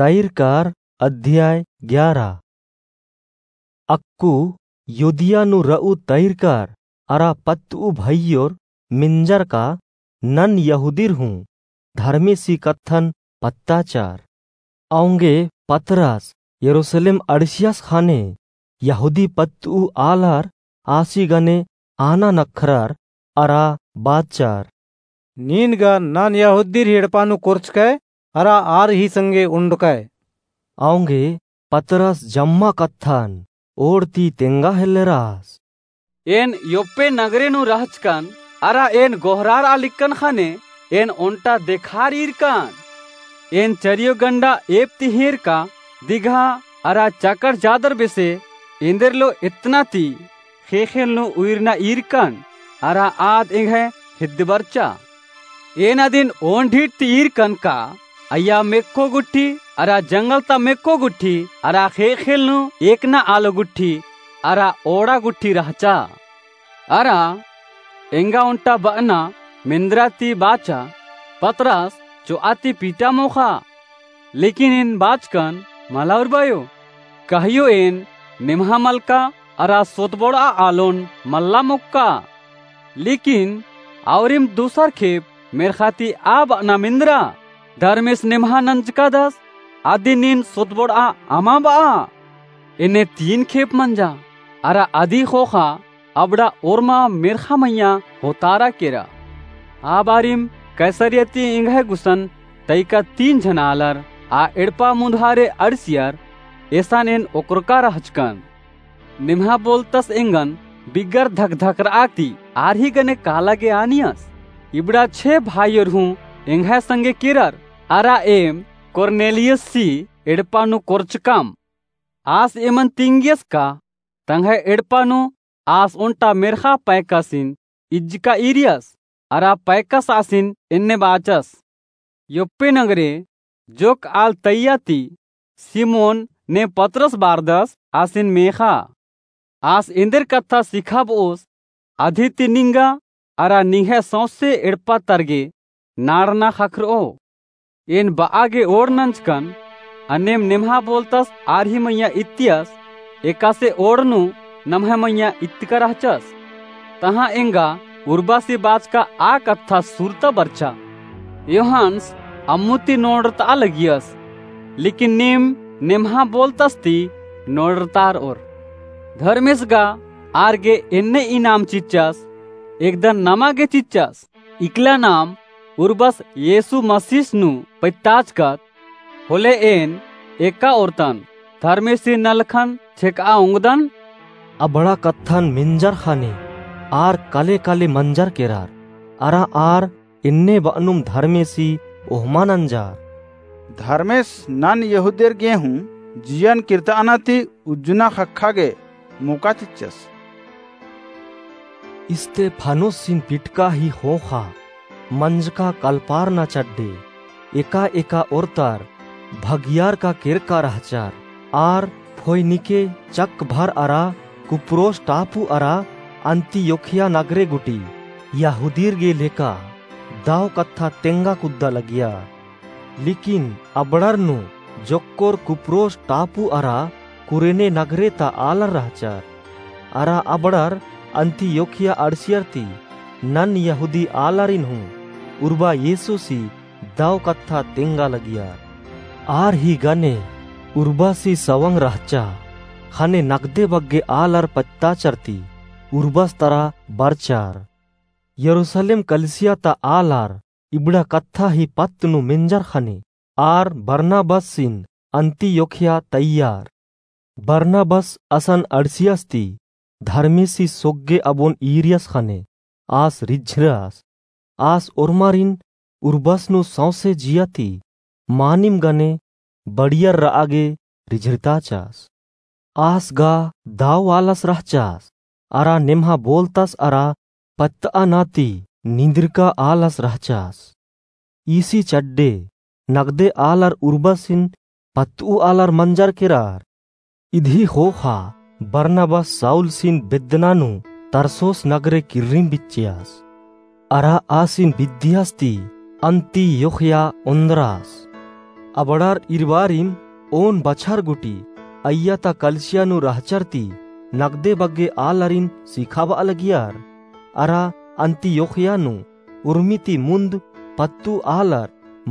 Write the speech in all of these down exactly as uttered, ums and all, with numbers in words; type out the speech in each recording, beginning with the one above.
तैरकार अध्याय ग्यारा। अक्कु युदिया नू र'ऊ तैरकार अरा पत्त'ऊ भइयोर मिंजरका नन यहूदीर हूँ धर्मेसी कत्थन पत्ताचार। औंगे पतरस यरूसलेम अंड़सियस ख़ने यहूदी पत्त'ऊ आलर आसी गने आना नखरर अरा बाचर। नीन गा नन यहूदीर ही एड़पा नू कोरचकय अरा आर ही संगे ओंडकय। औंगे पतरस जम्मा कत्थन ओड़ ती तेंगा हेल्लेरस। एन योप्पे नगरे नू रहचकन अरा एन गोहरार'आ लिक्कन ख़ने एन ओन्टा देखार ईरकन। एन चरियो गंडा एप ती हेंरका दिगहा अरा चाकड़ चादर बेसे एन्देरलो एतना ती ख़ेख़ेल नू उइरना ईरकन अरा आद एंग्है हेद्दबरचा। एन अदिन ओन ढीठ ती ईरकन का अइय्या मेक्खो गुट्ठी अरा जंगल ता मेक्खो गुट्ठी अरा ख़ेख़ेल नू एकना आलो गुट्ठी अरा ओड़ा गुट्ठी रहचा। अरा एंगा ओन्टा ब'अना मेन्द्रा ती बाचा, पतरस चो'आ ती पीटा मोख़ा। लेकिन एन बाचकन मला उर्बायो, कहियो एन निम्हा मलका अरा सोतबोड़'आ आलोन मल्ला मोक्का। लेकिन औरिम दूसर खेप मेर्ख़ा ती आ ब'अना मेन्द्रा, धर्मेस निम्हा नंजकादस, अदिन नीन सोतबोड़'आ अमा ब'आ। एन्ने तीन खेप मंजा, अरा अदी ख़ोख़ा अबड़ा ओर्मा मेर्ख़ा मइय्याँ होतारा केरा। आ बारिम कैसरिया ती एंग्है गुसन तइका तीन झन आलर आ एड़पा मुन्धारे अंड़सियर, एसन एन ओकरका रहचकन। निम्हा बोलतस एंगन बिगर धकधकर'आ ती आर ही गने काला गे आनियस। इबड़ा छे भाईयोर हूँ एंग्है संगे केरर, अरा एम कुरनेलियुसी एड़पा नू कोरचकम। आस एमन तिंगियस का तंग्है एड़पा नू आस ओन्टा मेर्ख़ा पैकासिन इज्जका ईरियस, अरा पैकस आसिन एन्ने बाचस, योप्पे नगरे जोक्क आल तइय्या ती सिमोन ने पतरस बारदस आसिन मेख़ा। आस एन्देर कत्था सिखाब'ओस, अदी ती निंगा अरा निंग्है सौंसे एड़पा तरगे नाड़ना ख़क्खर'ओ। एन ब'आ गे ओड़ नंजकन, अन्नेम निम्हा बोलतस आर ही मइय्याँ इत्तियस, एकासे ओड़ नू नम्है मइय्याँ इत्तका रहचस। तहाँ एंगा उर्बासी बाचका आ कत्था सुरता बरचा। योहानस अम्मु ती नोड़रत'आ लगियस, लेकिन नीम निम्हा बोलतस ती नोड़रतार'ओर। धर्मेस गा आर गे एन्ने इनाम चिच्चस, एकदन नमा गे चिच्चस। इकला नाम उर्बस येसु मसीस नू पत्ताचकत, होले एन एका ओर्तन धर्मेसी नलखन छेक'आ ओंगदन। अबड़ा कत्थन मेंजर ख़ने आर काले काले मंजर केरर, अरा आर एन्ने ब'अनुम धर्मेसी ओहमा नंजर। धर्मेस नन यहूदियर गे हूँ जियन किर्ता'अना ती उज्जना ख़क्खा गे मोका चिच्चस। स्तेफानोसिन पिटका ही ख़ोख़ा मंजका कलपारना चड्डे एका एका ओर्तर भगियारका केरका रहचर। आर फोइनिके चक भर अरा कुप्रोस टापू अरा अन्तियोखिया नगरे गूटी यहूदियर गे लेका दव कत्था तेंगा कुद्दा लगिया। लेकिन अबड़र नू जोक्कोर कुप्रोस टापू अरा कुरेने नगरे ता आलर रहचर। अरा अबड़र अन्तियोखिया अंड़सियर ती नन यहूदी आलारिन हूँ उर्बा येसुसी दव कत्था तेंगा लगियर। आर ही गने उर्बासी सवंग रहचा ख़ने नगदे बग्गे आलर पत्ताचर ती उर्बस तरा बरचर। यरूसलेम कलिसिया ता आलर इबड़ा कत्था ही पत्त नू मेंजर ख़ने आर बरनाबसिन अन्तियोखिया तइयर। बरनाबस असन अंड़सियस ती धर्मेसी सोग्गे अबोन ईरियस ख़ने आस रिझरस। आस ओर्मारिन उर्बस नू सौंसे जिया ती मानिम गने बड़ियर र'आ गे रिझरताचस। आस गा दव आलस रहचस अरा नेम्हा बोलतस अरा पत्त'अना ती निंदरका आलस रहचस। ईसी चड्डे नगदे आलर उर्बसिन पत्त'ऊ आलर मंजर केरर। इदी ख़ोख़ा बरनाबस साउलसिन बेद्दना नू तरसोस नगरे किर्रिम बिच्चियस। अरा आसिन बिद्दियस ती अन्तियोखिया ओन्द्रस। अबड़ार इरबारिम ओन बछर गूटी अइय्या ता कलिसिया नू रहचर ती नगदे बग्गे आलरिन सिखाबआ लगियर। अरा अंतियोखिया नू उर्मी ती मुन्द पत्तु आलर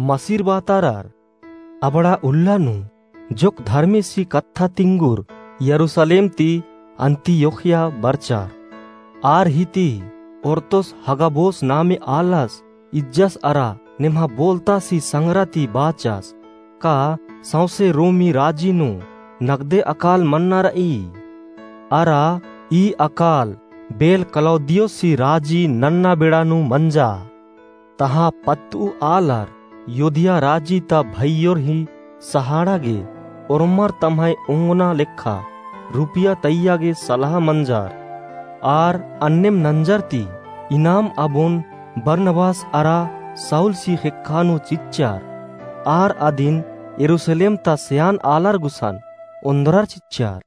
मसिरबातारर। अबड़ा उल्ला नू जोक धर्मेसी कत्था तिंगुर यरूसलेम ती अंतियोखिया बरचर। आर ही ती ओर्तोस हगाबोस नामे आलस इज्जस अरा नेम्हा बोलतासी संगरा ती बाचस, का सौंसे रोमी राजी नू नगदे अकाल मन्ना रई? अरा ई अकाल बेल क्लौदियोसी राजी नन्ना बेड़ा नू मंजा। तहाँ पत्तु आलर योदिया राजी ता भइयोर ही सहाड़ा गे ओर्मर तम्है ओंगना लेखा रुपिया तइय्या गे सलहा मंजर। आर अन्नेम नंजर ती इनाम अबोन बरनबास अरा साउलसी ख़ेक्खा नू चिच्चर। आर अदिन यरूसलेम ता सेयान आलर गुसन ओन्द्रर चिच्चर।